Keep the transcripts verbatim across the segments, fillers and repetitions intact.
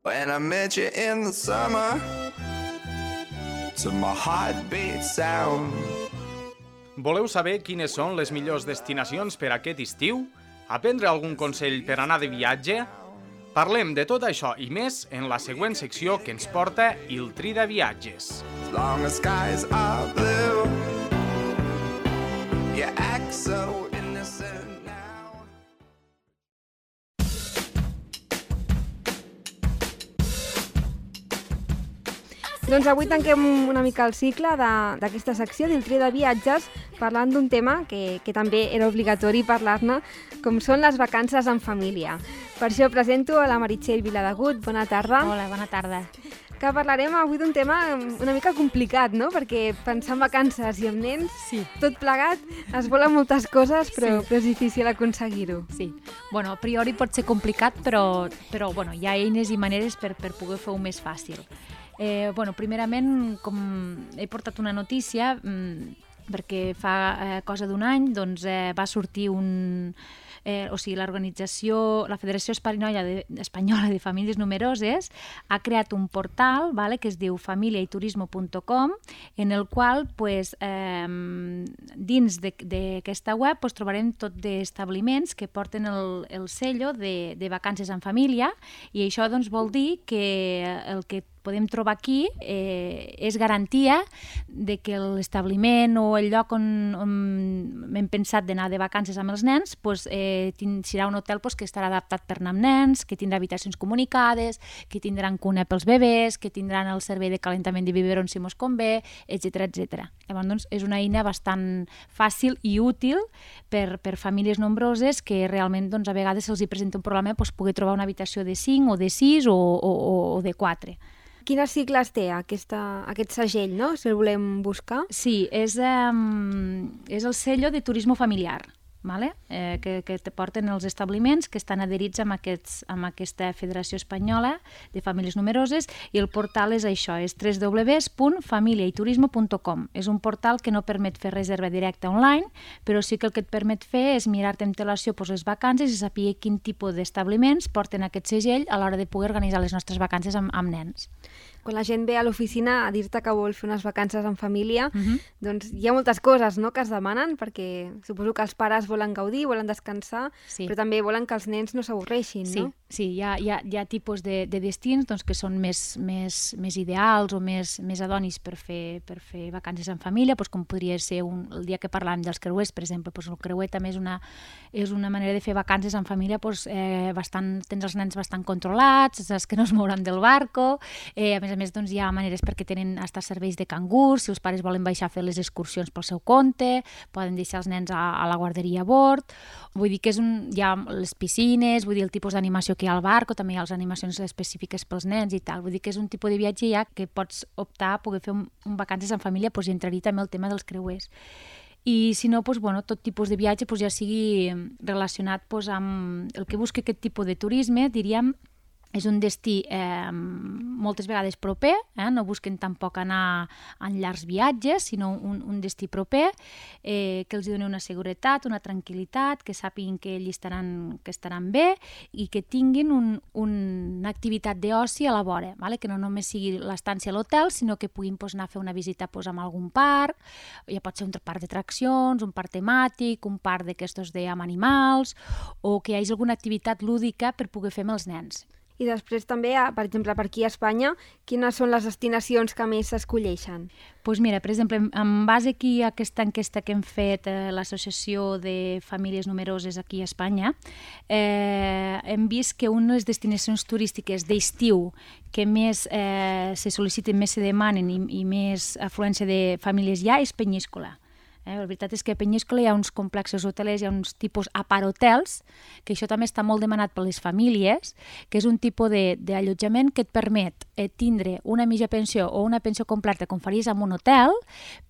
When I met you in the summer, to my heartbeat sound. Voleu saber quines són les millors destinacions per aquest estiu? Aprendre algun consell per anar de viatge? Parlem de tot això i més en la següent secció que ens porta Il Tri de Viatges. As long as skies are blue, you act so innocent now. Doncs avui tanquem una mica el cicle d'aquesta secció d'Il Tri de Viatges parlant d'un tema que, que també era obligatori parlar-ne, com són les vacances en família. Per això presento a la Meritxell Viladegut. Bona tarda. Hola, bona tarda. Que parlarem avui d'un tema una mica complicat, no? Perquè pensar en vacances i amb nens, sí. Tot plegat, es volen moltes coses, però, sí. però és difícil aconseguir-ho. Sí. Bueno, a priori pot ser complicat, però, però bueno, hi ha eines i maneres per, per poder fer-ho més fàcil. Eh, bueno, primerament, com he portat una notícia, mmm, perquè fa eh, cosa d'un any doncs, eh, va sortir un... Eh, o sigui, l'organització, la Federació Espanyola de, Espanyola de Famílies Numeroses ha creat un portal, vale, que es diu familia y turismo punto com, en el qual pues, eh, dins d'aquesta web pues, trobarem tot d'establiments que porten el, el sello de, de vacances en família, i això doncs, vol dir que el que podem trobar aquí eh, és garantia de que l'establiment o el lloc on, on hem pensat d'anar de vacances amb els nens pues, eh, serà un hotel pues, que estarà adaptat per anar amb nens, que tindrà habitacions comunicades, que tindran cuna pels bebès, que tindran el servei de calentament de biberons si mos convé, etcètera etcètera. Llavors, doncs, és una eina bastant fàcil i útil per, per famílies nombroses que realment doncs, a vegades se'ls hi presenta un problema pues, poder trobar una habitació de cinc o de sis o, o, o de quatre. Quines sigles té aquesta, aquest segell, no? Si el volem buscar. Sí, és, um, és el sello de turismo familiar, vale? eh, que, que te porten els establiments que estan adherits amb, aquests, amb aquesta Federació Espanyola de Famílies Numeroses, i el portal és això, és w w w punt familia y turismo punto com. És un portal que no permet fer reserva directa online, però sí que el que et permet fer és mirar-te amb antelació pues, les vacances i saber quin tipus d'establiments porten aquest segell a l'hora de poder organitzar les nostres vacances amb, amb nens. Quan la gent ve a l'oficina a dir-te que vol fer unes vacances en família, uh-huh. doncs hi ha moltes coses, no?, que es demanen, perquè suposo que els pares volen gaudir, volen descansar, sí. però també volen que els nens no s'avorreixin, sí, no? Sí, hi ha, hi ha, hi ha tipus de, de destins doncs, que són més, més, més ideals o més, més adonis per fer, per fer vacances en família, doncs, com podria ser un, el dia que parlàvem dels creuers, per exemple. Doncs el creuer també és una, és una manera de fer vacances en família, doncs, eh, bastant, tens els nens bastant controlats, saps que no es mouran del barco, eh, a més a més doncs, hi ha maneres perquè tenen hasta serveis de cangurs, si els pares volen baixar a fer les excursions pel seu compte, poden deixar els nens a, a la guarderia a bord, vull dir que és un, hi ha les piscines, vull dir el tipus d'animació que hi ha al barco, també hi ha les animacions específiques pels nens i tal, vull dir que és un tipus de viatge ja que pots optar a poder fer un, un vacances en família, doncs hi entraria també el tema dels creuers. I si no, doncs, bueno, tot tipus de viatge doncs, ja sigui relacionat doncs, amb el que busca aquest tipus de turisme, diríem. És un destí eh, moltes vegades proper, eh? No busquen tampoc anar en llargs viatges, sinó un, un destí proper, eh, que els doni una seguretat, una tranquil·litat, que sàpiguen que ells estaran, que estaran bé i que tinguin un, un, una activitat d'oci a la vora, vale? Que no només sigui l'estància a l'hotel, sinó que puguin pues, anar a fer una visita pues, amb algun parc, ja pot ser un parc d'atraccions, un parc temàtic, un parc d'aquestos amb animals, o que hi hagi alguna activitat lúdica per poder fer amb els nens. I després també, per exemple, per aquí a Espanya, quines són les destinacions que més s'escolleixen? Doncs pues mira, per exemple, en base aquí a aquesta enquesta que hem fet eh, l'Associació de Famílies Numeroses aquí a Espanya, eh, hem vist que una de les destinacions turístiques d'estiu que més eh, se sol·liciten, més se demanen i, i més afluència de famílies hi ha és Penyíscola. Eh, la veritat és que a Penyíscola hi ha uns complexos hotelers, hi ha uns tipus aparhotels, que això també està molt demanat per les famílies, que és un tipus d'allotjament que et permet eh, tindre una mitja pensió o una pensió completa com faries en un hotel,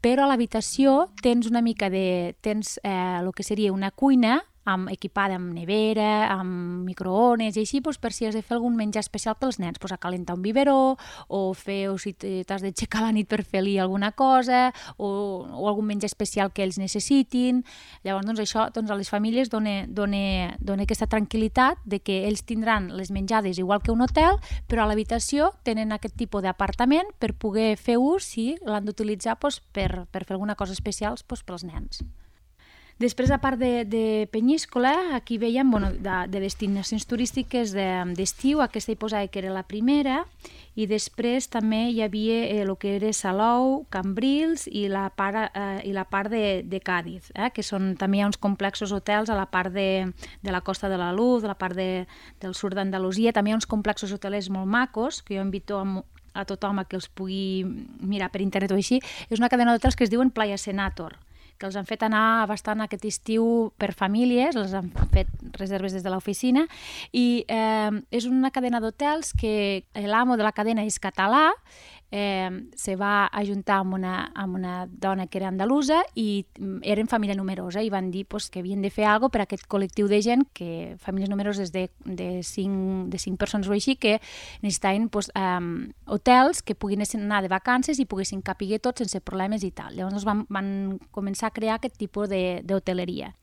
però a l'habitació tens una mica de... tens eh, el que seria una cuina amb, equipada amb nevera, amb microones i així, doncs, per si has de fer algun menjar especial pels nens, doncs, a calentar un biberó o fer, o si t'has d'aixecar la nit per fer-li alguna cosa o, o algun menjar especial que ells necessitin. Llavors, doncs, això doncs, a les famílies dona, dona, dona aquesta tranquil·litat de que ells tindran les menjades igual que un hotel, però a l'habitació tenen aquest tipus d'apartament per poder fer ús si l'han d'utilitzar doncs, per, per fer alguna cosa especial doncs, pels nens. Després, a part de, de Penyíscola, aquí veiem bueno, de, de destinacions turístiques d'estiu, de, aquesta hi posava que era la primera, i després també hi havia eh, el que era Salou, Cambrils i la part, eh, i la part de, de Càdiz, eh, que són, també hi ha uns complexos hotels a la part de, de la Costa de la Luz, de la part de, del sud d'Andalusia, també hi ha uns complexos hotelers molt macos, que jo invito a a tothom a que els pugui mirar per internet o així. És una cadena d'hotels que es diuen Playa Senator, que els han fet anar bastant aquest estiu per famílies, els han fet reserves des de l'oficina, i eh, és una cadena d'hotels que l'amo de la cadena és català, eh, se va ajuntar amb una, amb una dona que era andalusa i eren família numerosa i van dir pues, que havien de fer alguna cosa per a aquest col·lectiu de gent, que famílies numeroses de, de, cinc, de cinc persones o així, que necessitaven pues, eh, hotels que poguessin anar de vacances i poguessin capiguer tots sense problemes i tal. Llavors van, van començar a crear aquest tipus d'hoteleria.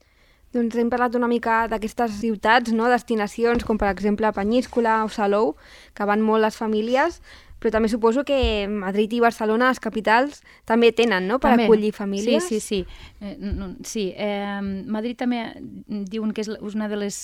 Doncs hem parlat una mica d'aquestes ciutats, no? Destinacions com per exemple Penyíscola o Salou, que van molt les famílies, però també suposo que Madrid i Barcelona, les capitals, també tenen, no?, per també acollir famílies. Sí, sí, sí. Eh, no, sí. Eh, Madrid també diuen que és una de les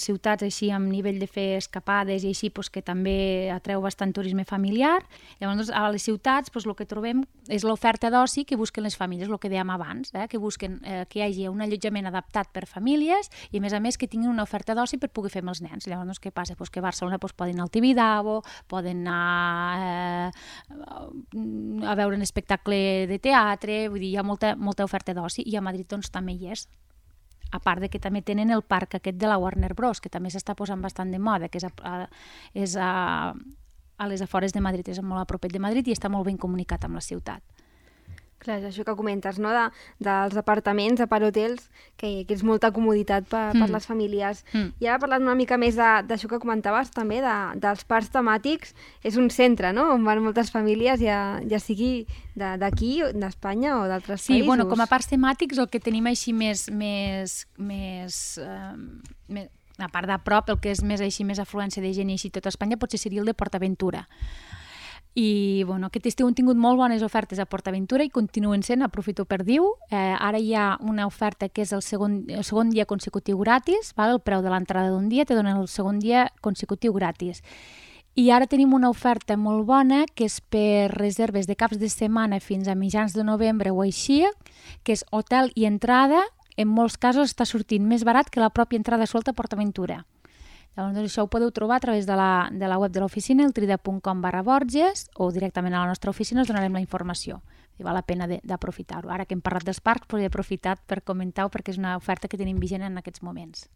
ciutats així amb nivell de fer escapades i així pues, que també atreu bastant turisme familiar. Llavors, a les ciutats pues, el que trobem és l'oferta d'oci que busquen les famílies, el que dèiem abans, eh, que busquen eh, que hi hagi un allotjament adaptat per famílies i, a més a més, que tinguin una oferta d'oci per poder fer amb els nens. Llavors, què passa? Pues que a Barcelona pues, poden anar al Tibidabo, poden anar a veure un espectacle de teatre, vull dir, hi ha molta, molta oferta d'oci, i a Madrid doncs, també hi és. A part de que també tenen el parc aquest de la Warner Bros, que també s'està posant bastant de moda, que és a, a, és a, a les afores de Madrid, és molt a propet de Madrid i està molt ben comunicat amb la ciutat. Clar, és això que comentes, no?, de, dels apartaments, aparthotels, que, que és molta comoditat per, mm. per les famílies. Mm. I ara parlant una mica més d'això que comentaves també, de, dels parcs temàtics, és un centre, no?, on van moltes famílies, ja, ja sigui d'aquí, d'Espanya o d'altres sí, països. Sí, bueno, com a parcs temàtics el que tenim així més, més, més, eh, més a part de prop, el que és més així, més afluència de gent i així tot Espanya, potser seria el de PortAventura. I bueno, aquest estiu han tingut molt bones ofertes a PortAventura i continuen sent, aprofito per dir-ho. Eh, ara hi ha una oferta que és el segon, el segon dia consecutiu gratis, val? El preu de l'entrada d'un dia te donen el segon dia consecutiu gratis. I ara tenim una oferta molt bona que és per reserves de caps de setmana fins a mitjans de novembre o així, que és hotel i entrada, en molts casos està sortint més barat que la pròpia entrada suelta a PortAventura. Llavors, això ho podeu trobar a través de la, de la web de l'oficina, eltrida punt com barra Borges, o directament a la nostra oficina us donarem la informació. I val la pena d'aprofitar-ho. Ara que hem parlat dels parcs, però he aprofitat per comentar-ho perquè és una oferta que tenim vigent en aquests moments.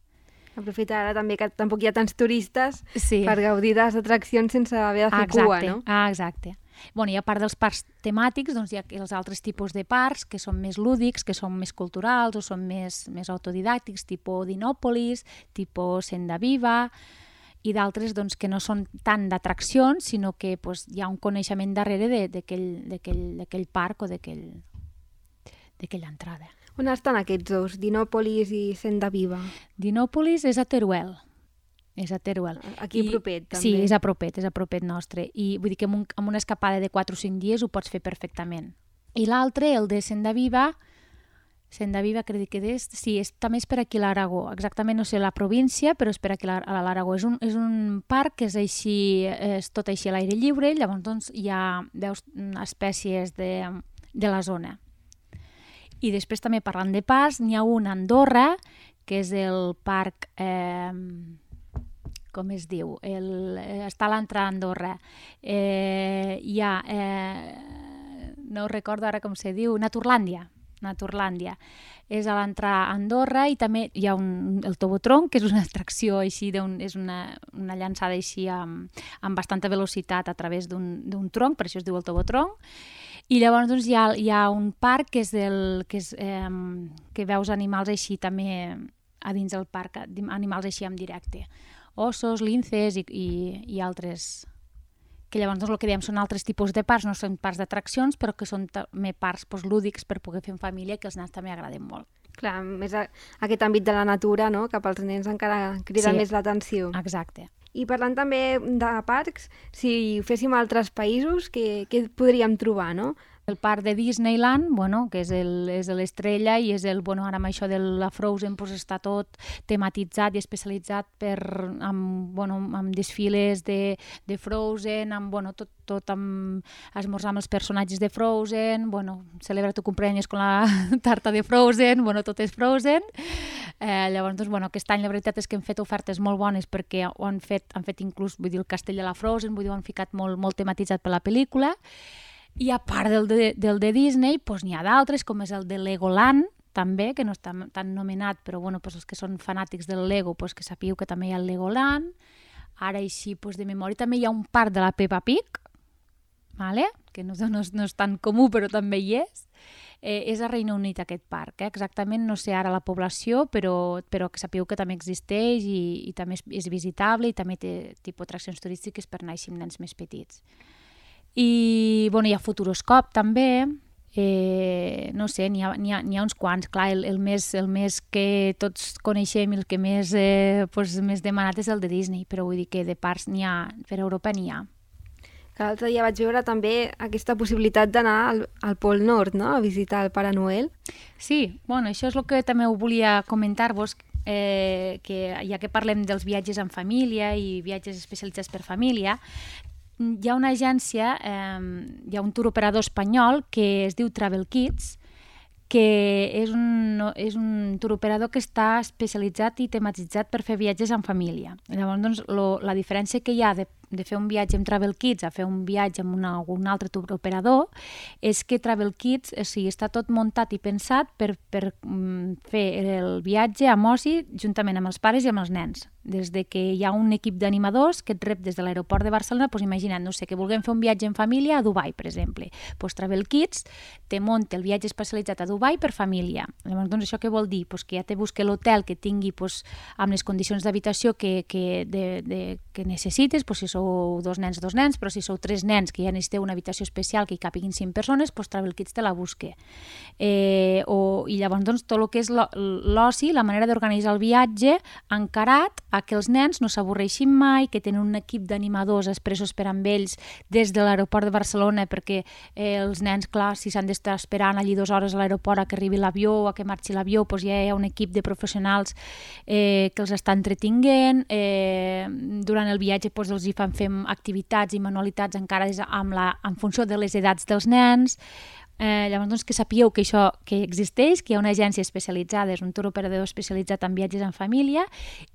Aprofitar ara també que tampoc hi ha tants turistes sí. per gaudir de les atraccions sense haver de fer exacte. cua, no? Ah, exacte. Bueno, i a part dels parcs temàtics, doncs hi ha els altres tipus de parcs que són més lúdics, que són més culturals o són més, més autodidàctics, tipus Dinòpolis, tipus Senda Viva, i d'altres doncs, que no són tant d'atraccions, sinó que doncs, hi ha un coneixement darrere d'aquell parc o d'aquella entrada. On estan aquests dos, Dinòpolis i Senda Viva? Dinòpolis és a Teruel. És a Teruel. Aquí I, propet, també. Sí, és a propet, és a propet nostre. I vull dir que amb, un, amb una escapada de quatre o cinc dies ho pots fer perfectament. I l'altre, el de Senda Viva, Senda Viva crec que és, sí, és, també és per aquí a l'Aragó. Exactament no sé la província, però és per aquí a l'Aragó. És un, és un parc que és així, és tot així a l'aire lliure, llavors doncs, hi ha veus espècies de, de la zona. I després també parlant de parcs, n'hi ha un a Andorra, que és el parc... Eh, com es diu, el, està a l'entrada a Andorra. Eh, hi ha, eh, no recordo ara com se diu, Naturlàndia. Naturlàndia. És a l'entrada a Andorra i també hi ha un, el Tobotron, que és una atracció així, és una, una llançada així amb, amb bastanta velocitat a través d'un tronc, per això es diu el Tobotron. I llavors doncs, hi, ha, hi ha un parc que és, el, que, és eh, que veus animals així també a dins del parc, animals així en directe. Ossos, linces i, i, i altres, que llavors doncs, el que dèiem són altres tipus de parcs, no són parcs d'atraccions, però que són també parcs doncs, lúdics per poder fer en família, que els nens també agraden molt. Clar, més a, aquest àmbit de la natura, no?, cap als nens encara crida Sí, més l'atenció. Exacte. I parlant també de parcs, si ho féssim a altres països, què, què podríem trobar, no? El parc de Disneyland, bueno, que és el- és l'estrella i és el, bueno, ara amb això de la Frozen pues, està tot tematitzat i especialitzat per, amb, bueno, amb desfiles de, de Frozen, amb, bueno, tot, tot amb esmorzar amb els personatges de Frozen, bueno, celebra tu cumpleaños con la tarta de Frozen, bueno, tot és Frozen. Eh, llavors, doncs, bueno, aquest any la veritat és que hem fet ofertes molt bones perquè ho han fet, han fet inclús, vull dir, el castell de la Frozen, vull dir, ho han ficat molt, molt tematitzat per la pel·lícula. I a part del de, del de Disney, doncs n'hi ha d'altres, com és el de Legoland, també, que no està tan nomenat, però bueno, doncs els que són fanàtics del Lego, doncs que sapigueu que també hi ha el Legoland. Ara així, doncs de memòria, també hi ha un parc de la Peppa Pig, vale? Que no, no, és, no és tan comú, però també hi és. Eh, és a Regne Unit aquest parc, eh? Exactament no sé ara la població, però, però que sapigueu que també existeix i, i també és, és visitable i també té tipus atraccions turístiques per anar així amb nens més petits. I bueno, hi ha Futuroscope també, eh, no sé, n'hi ha, n'hi ha, n'hi ha uns quants. Clar, el, el, més, el més que tots coneixem i el que més, eh, pues, més demanat és el de Disney, però vull dir que de parcs n'hi ha, per Europa n'hi ha. Que l'altre dia vaig veure també aquesta possibilitat d'anar al, al Pol Nord, no?, a visitar el Pare Noel. Sí, bueno, això és el que també ho volia comentar-vos, eh, que ja que parlem dels viatges en família i viatges especialitzats per família, hi ha una agència, eh, hi ha un tour operador espanyol que es diu Travel Kids, que és un, és un tour operador que està especialitzat i tematitzat per fer viatges en família. Llavors, doncs, lo, la diferència que hi ha de, de fer un viatge amb Travel Kids a fer un viatge amb una, un altre tour operador és que Travel Kids, o sigui, està tot muntat i pensat per, per mm, fer el viatge amb oci juntament amb els pares i amb els nens. Des de que hi ha un equip d'animadors que et rep des de l'aeroport de Barcelona, doncs imagina't, no sé, que vulguem fer un viatge en família a Dubai, per exemple. Doncs Travel Kids te munta el viatge especialitzat a Dubai per família. Llavors, doncs, això què vol dir? Doncs que ja te busca l'hotel que tingui doncs, amb les condicions d'habitació que, que, de, de, que necessites, doncs, si sou dos nens, dos nens, però si sou tres nens que ja necessiteu una habitació especial que hi capiguin cinc persones, doncs Travel Kids te la busca. Eh, o, I llavors, doncs, tot el que és l'oci, la manera d'organitzar el viatge encarat a que els nens no s'avorreixin mai, que tenen un equip d'animadors expressos per amb ells des de l'aeroport de Barcelona, perquè eh, els nens, clar, si s'han d'estar esperant allí dues hores a l'aeroport a que arribi l'avió o a que marxi l'avió, doncs ja hi ha un equip de professionals eh, que els està entretinguent. Eh, durant el viatge doncs, els hi fan fer activitats i manualitats encara amb la, en funció de les edats dels nens. Eh, llavors, doncs, que sapigueu que això que existeix, que hi ha una agència especialitzada, és un tour operador especialitzat en viatges en família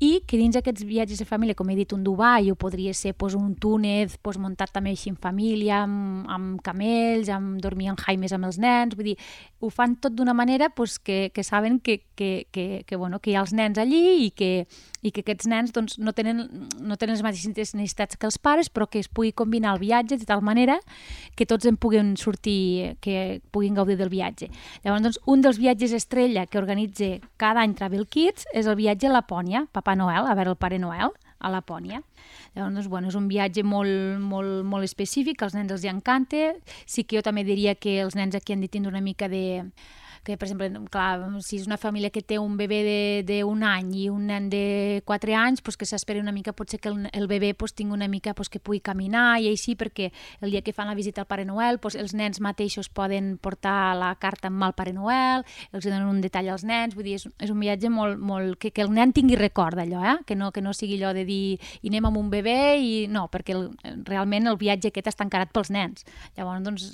i que dins aquests viatges en família, com he dit, un Dubai, o podria ser pues, un Túnez pues, muntat també així en família, amb, amb camells, amb dormir en jaimes amb els nens, vull dir, ho fan tot d'una manera pues, que, que saben que, que, que, que, bueno, que hi ha els nens allí i que, i que aquests nens doncs, no, tenen, no tenen les mateixes necessitats que els pares, però que es pugui combinar el viatge de tal manera que tots en puguin sortir, que puguin gaudir del viatge. Llavors, doncs, un dels viatges estrella que organitza cada any Travel Kids és el viatge a Lapònia, Papa Noel, a veure el Pare Noel, a Lapònia. Llavors, doncs, bueno, és un viatge molt, molt, molt específic, als nens els hi encanta. Sí que jo també diria que els nens aquí han de tindre una mica de... que, per exemple, clar, si és una família que té un bebè d'un any i un nen de quatre anys, pues que s'esperi una mica, potser que el, el bebè pues, tingui una mica pues, que pugui caminar i així, perquè el dia que fan la visita al Pare Noel, pues, els nens mateixos poden portar la carta amb el Pare Noel, els donen un detall als nens, vull dir, és, és un viatge molt, molt que, que el nen tingui record d'allò, eh? que, no, que no sigui allò de dir i anem amb un bebè i no, perquè el, realment el viatge aquest està encarat pels nens. Llavors, doncs,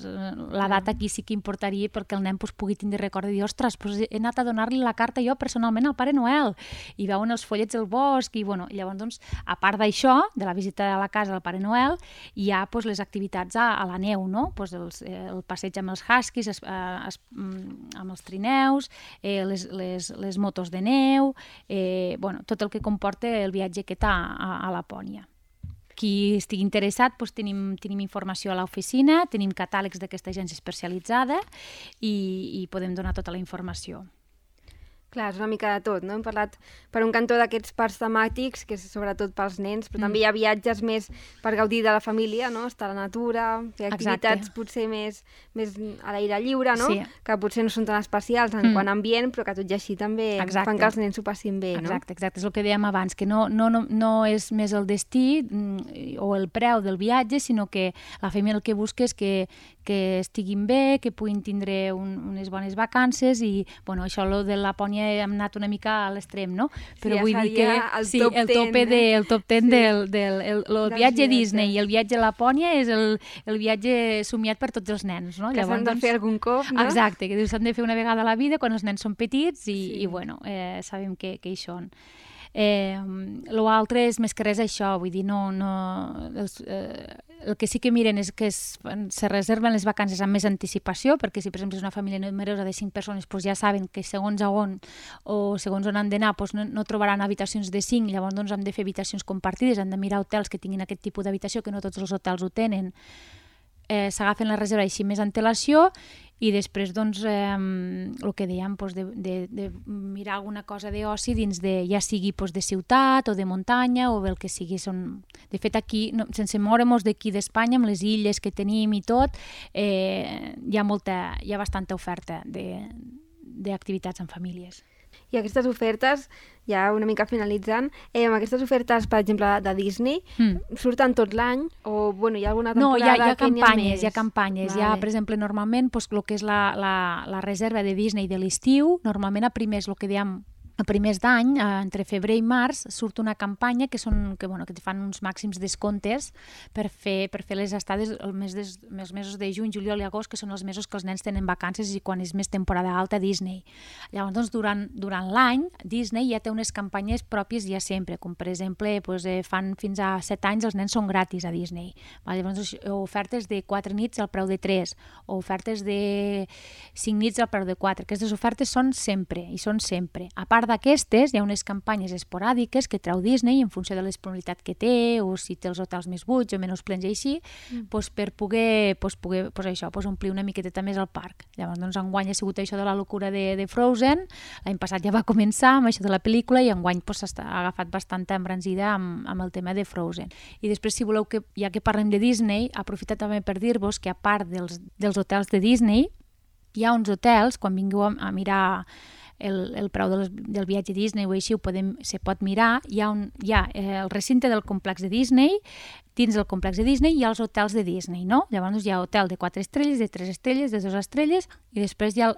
la data aquí sí que importaria perquè el nen pues, pugui tindre record de dir, ostres, doncs he anat a donar-li la carta jo personalment al Pare Noel i veuen els follets del bosc i bueno, llavors doncs, a part d'això, de la visita a la casa del Pare Noel, hi ha doncs, les activitats a, a la neu, no? Doncs els, eh, el passeig amb els huskies, es, es, amb els trineus, eh, les, les, les motos de neu, eh, bueno, tot el que comporta el viatge aquest a, a, a Lapònia. Qui estigui interessat, doncs tenim, tenim informació a l'oficina, tenim catàlegs d'aquesta agència especialitzada i, i podem donar tota la informació. Clar, és una mica de tot, no? Hem parlat per un cantó d'aquests parcs temàtics, que és sobretot pels nens, però mm. també hi ha viatges més per gaudir de la família, no? Estar a la natura, fer activitats Exacte. potser més, més a l'aire lliure, no? Sí. Que potser no són tan especials en mm. quant a ambient, però que tot i així també exacte. fan que els nens s'ho passin bé, no? Exacte, exacte, és el que dèiem abans, que no, no, no, no és més el destí mm, o el preu del viatge, sinó que la família el que busca és que, que estiguin bé, que puguin tindre un, unes bones vacances i, bueno, això lo de Lapònia hem anat una mica a l'extrem, no? Però sí, vull dir que el sí, top el tope ten, de, eh? el top ten sí. del, del el, el viatge a Disney i el viatge a Lapònia és el, el viatge somiat per tots els nens, no? Que s'han de fer algun cop, no? Exacte, que s'han de fer una vegada a la vida quan els nens són petits i, sí. i bueno, eh, sabem que, que hi són. Eh, l'altre és més que res això, vull dir, no, no, els, eh, el que sí que miren és que es, se reserven les vacances amb més anticipació, perquè si per exemple és una família numerosa de cinc persones, doncs ja saben que segons a on o segons on han d'anar doncs no, no trobaran habitacions de cinc, llavors doncs han de fer habitacions compartides, han de mirar hotels que tinguin aquest tipus d'habitació, que no tots els hotels ho tenen, eh, s'agafen la reserva així més antelació i després, doncs, eh, el que dèiem, doncs, de, de, de mirar alguna cosa d'oci dins de, ja sigui doncs, de ciutat o de muntanya o el que sigui. Són... De fet, aquí, no, sense moure'ns d'aquí d'Espanya, amb les illes que tenim i tot, eh, hi ha molta, hi ha bastanta oferta d'activitats en famílies. I aquestes ofertes, ja una mica finalitzant, eh, amb aquestes ofertes, per exemple, de Disney, mm. surten tot l'any? O, bueno, hi ha alguna temporada no, hi ha, hi ha que campanyes, n'hi ha més? Hi ha campanyes. Vale. Hi ha, per exemple, normalment, doncs, el que és la, la, la reserva de Disney de l'estiu, normalment a primers, el que dèiem, a primers d'any, entre febrer i març, surt una campanya que són que, bueno, que te fan uns màxims descomptes per fer, per fer les estades el mes des, els mesos de juny, juliol i agost, que són els mesos que els nens tenen vacances i quan és més temporada alta a Disney. Llavors, doncs, durant, durant l'any, Disney ja té unes campanyes pròpies ja sempre, com per exemple, doncs, eh, fan fins a set anys els nens són gratis a Disney. Llavors, doncs, ofertes de quatre nits al preu de tres, o ofertes de cinc nits al preu de quatre. Aquestes ofertes són sempre, i són sempre. A part d'aquestes, hi ha unes campanyes esporàdiques que treu Disney en funció de la disponibilitat que té o si té els hotels més buits o menys plens i així, mm. doncs per poder, doncs poder doncs això, doncs omplir una miqueta més el parc. Llavors, doncs, enguany ha sigut això de la locura de, de Frozen, l'any passat ja va començar amb això de la pel·lícula i enguany doncs, s'ha agafat bastanta embranzida amb, amb el tema de Frozen. I després, si voleu, que ja que parlem de Disney, aprofito també per dir-vos que a part dels, dels hotels de Disney, hi ha uns hotels, quan vingueu a, a mirar el, el preu del, del viatge a Disney o així, ho podem, se pot mirar, hi ha, un, hi ha eh, el recinte del complex de Disney, dins del complex de Disney hi ha els hotels de Disney, no? Llavors hi ha hotel de quatre estrelles, de tres estrelles, de dues estrelles, i després hi ha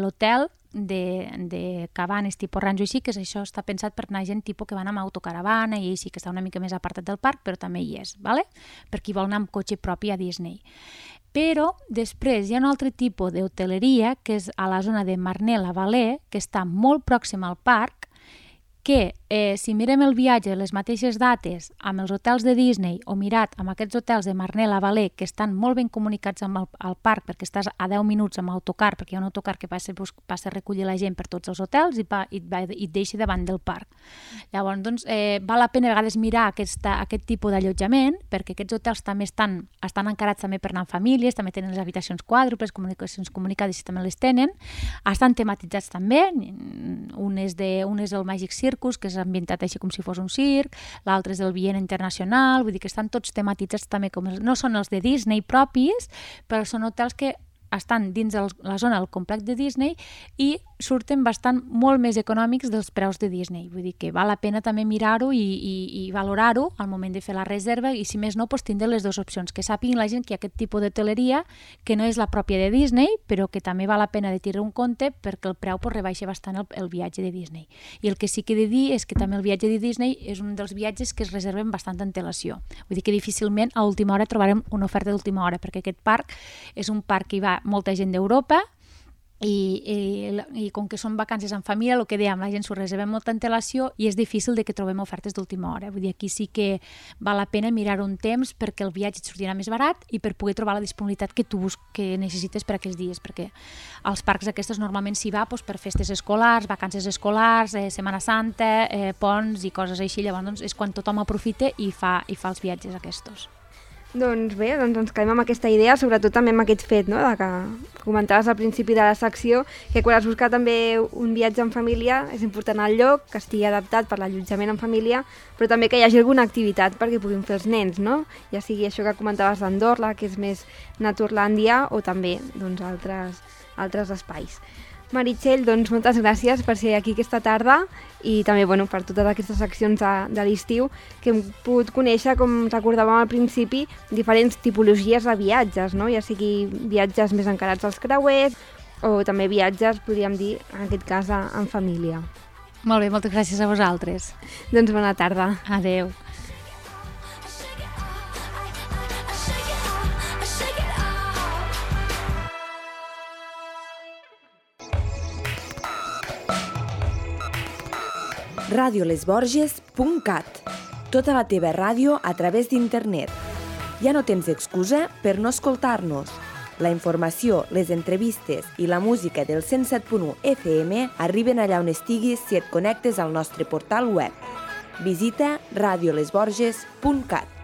l'hotel de, de cabanes tipus rancho així, que és això està pensat per anar gent tipus que van amb autocaravana i així, que està una mica més apartat del parc, però també hi és, ¿vale? Per qui vol anar amb cotxe propi a Disney. Però després hi ha un altre tipus d'hoteleria que és a la zona de Marne-la-Vallée, que està molt pròxima al parc, que eh, si mirem el viatge, les mateixes dates, amb els hotels de Disney o mirat amb aquests hotels de Marne-la-Vallée, que estan molt ben comunicats amb el, el parc, perquè estàs a deu minuts amb autocar, perquè hi ha un autocar que passa, passa a recollir la gent per tots els hotels i, va, i, va, i et deixa davant del parc. Llavors, doncs, eh, val la pena a vegades mirar aquesta, aquest tipus d'allotjament, perquè aquests hotels també estan, estan encarats també per anar amb famílies, també tenen les habitacions quàdruples, comunicacions comunicades i també les tenen, estan tematitzats també, un és, de, un és el Magic Circus, que és ambientat així com si fos un circ, l'altre és el Viena Internacional, vull dir que estan tots tematitzats també com els, no són els de Disney propis, però són hotels que estan dins el, la zona del complex de Disney i surten bastant molt més econòmics dels preus de Disney. Vull dir que val la pena també mirar-ho i, i, i valorar-ho al moment de fer la reserva i si més no, doncs, tindre les dues opcions, que sàpiguin la gent que hi ha aquest tipus d'hoteleria que no és la pròpia de Disney, però que també val la pena de tirar un compte perquè el preu pues, rebaixa bastant el, el viatge de Disney. I el que sí que he de dir és que també el viatge de Disney és un dels viatges que es reserven bastant antelació. Vull dir que difícilment a última hora trobarem una oferta d'última hora, perquè aquest parc és un parc que hi va molta gent d'Europa i, i, i com que són vacances en família, el que dèiem, la gent s'ho reserva amb molta antelació i és difícil de que trobem ofertes d'última hora. Vull dir, aquí sí que val la pena mirar un temps perquè el viatge et sortirà més barat i per poder trobar la disponibilitat que tu que necessites per aquells dies, perquè als parcs aquests normalment s'hi va doncs, per festes escolars, vacances escolars, eh, Setmana Santa, eh, ponts i coses així, llavors doncs, és quan tothom aprofita i fa, i fa els viatges aquests. Doncs bé, doncs ens quedem amb aquesta idea, sobretot també amb aquest fet, no?, de que comentaves al principi de la secció, que quan has buscat també un viatge en família és important el lloc, que estigui adaptat per l'allotjament en família, però també que hi hagi alguna activitat perquè puguin fer els nens, no? Ja sigui això que comentaves d'Andorra, que és més Naturlàndia, o també doncs, altres, altres espais. Meritxell, doncs moltes gràcies per ser aquí aquesta tarda i també bueno, per totes aquestes seccions de, de l'estiu que hem pogut conèixer, com recordàvem al principi, diferents tipologies de viatges, no? Ja sigui viatges més encarats als creuers o també viatges, podríem dir, en aquest cas, en família. Molt bé, moltes gràcies a vosaltres. Doncs bona tarda. Adeu. radio les borges punt cat. Tota la teva ràdio a través d'internet. Ja no tens excusa per no escoltar-nos. La informació, les entrevistes i la música del cent set punt u F M arriben allà on estiguis si et connectes al nostre portal web. Visita radio les borges punt cat.